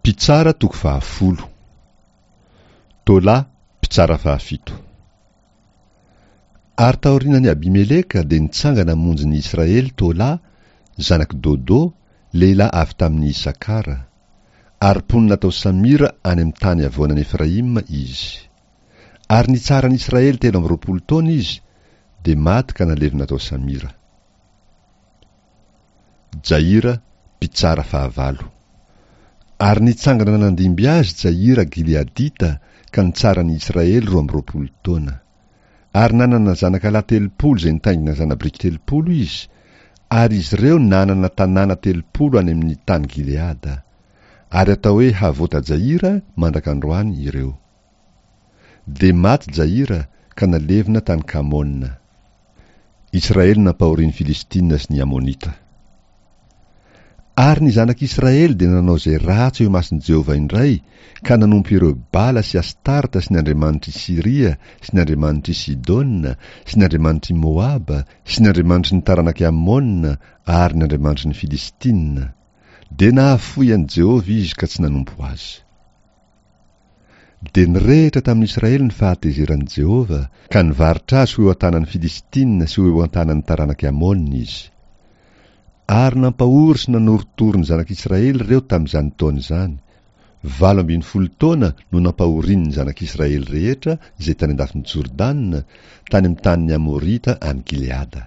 Mpitsara toko fahafolo. Tola, mpitsara fahafito. Ary taorianan'i Abimeleka dia nitsangana hamonjy ny Israely Tola, zanak'i Dodo, lehilahy avy tamin'i Isakara. Ary mponina tao Samira any amin'ny tany havoanan'i Efraima izy. Ary nitsara ny Israely 23 taona izy, dia maty ka nalevina tao Samira. Jaira, mpitsara fahavalo. Ary nitsangana nandimby azy Jaira Gileadita ka nitsara ny Israely 22 taona. Ary nanana zanaka lahy 30 izay nitaingina zana-biriky 30 izy, ary izy ireo nanana tanàna 30 any amin'ny tany Gileada. Ary atao hoe Havota-Jaira mandraka androany ireo. Dia maty Jaira ka nalevina tany Kamona. Israely nampahorian'ny Filistina sy ny Amonita. Ary ny zanak'Israely dia nanao izay ratsy eo imason'i Jehovah indray ka nanompo ireo Bala sy Astarta sy ny andriamanitr'i Syria sy ny andriamanitr'i Sidona sy ny andriamanitr'i Moaba sy ny andriamanitry ny taranak'i Amona ary ny andriamanitry ny Filistina. Dia nahafoy an'i Jehovah izy ka tsy nanompo azy. Dia nirehitra tamin'i Israely ny fahatezeran'i Jehovah, ka nivarotra azy ho eo an-tanan'ny Filistina sy ho eo an-tanan'ny taranak'i Amona izy. Ary nampahory sy nanorotoro ny zanak'Israely ireo tamin'izany taona izany. 18 taona no nampahoriany ny zanak'Israely rehetra izay tany an-dafin'i Jordana, tany amin'ny tanin'ny Amorita any Gileada.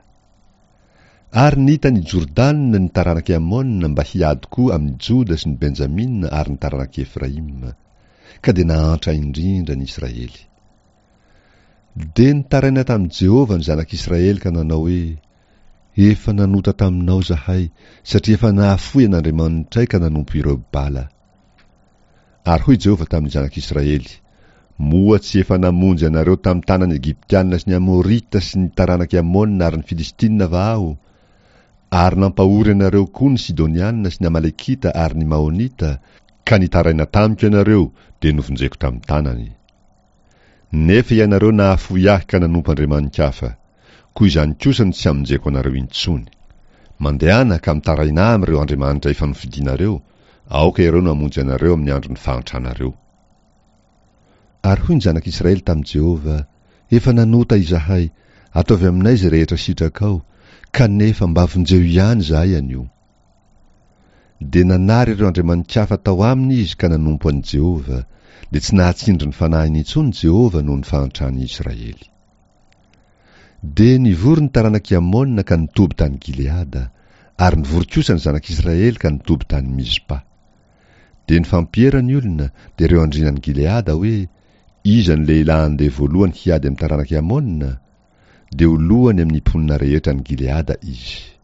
Ary nita an' i Jordana ny taranak' i Amôna mba hiady koa amin' i Joda sy ny Benjamina ary ny taranak' i Efraima. Ka dia nahantra indrindra ny Israely. Dia nitaraina tamin'i Jehovah ny zanak' Israely ka nanao hoe, Efa nanota taminao izahay, satria efa nahafoy an' Andriamanitray ka nanompo ireo Bala. Ary hoy Jehovah tamin'ny zanak'Israely, Moa tsy efa namonjy anareo tamin'ny tanan'ny Egyptiana sy ny Amorita sy ny taranak'i Amona ary ny Filistina va Aho? Ary nampahory anareo koa ny Sidoniana sy ny Amalekita ary ny Maonita, ka nitaraina tamiko ianareo, dia novonjeko tamin'ny tanany. Nefa ianareo nahafoy ahy ka nanompo andriamani-kafa. Koa izany kosa no tsy hamonjeko anareo intsony. Mandehana ka mitarainà amin'ireo andriamanitra efa nofidinareo, aoka ireo no hamonjy anareo amin'ny andron'ny fahantranareo. Ary hoy ny zanak'Israely tamin'i Jehovah, Efa nanota izahay, ataovy aminay izay rehetra sitrakao, kanefa mba vonjeo ihany izahay anio. Dia nanary ireo andriamani-kafa tao aminy izy ka nanompo an'i Jehovah, dia tsy nahatsindry ny fanahiny intsony Jehovah noho ny fahantran'ny Israely. Dia nivory ny taranak'i Amona ka nitoby tany Gileada, ary nivory kosa ny zanak'Israely ka nitoby tany Mizpa. Dia nifampiera ny olona, dia ireo andrianan'i Gileada hoe, Iza no lehilahy handeha voalohany hiady amin'ny taranak'i Amona? Dia ho lohany amin'ny mponina rehetra any Gileada izy.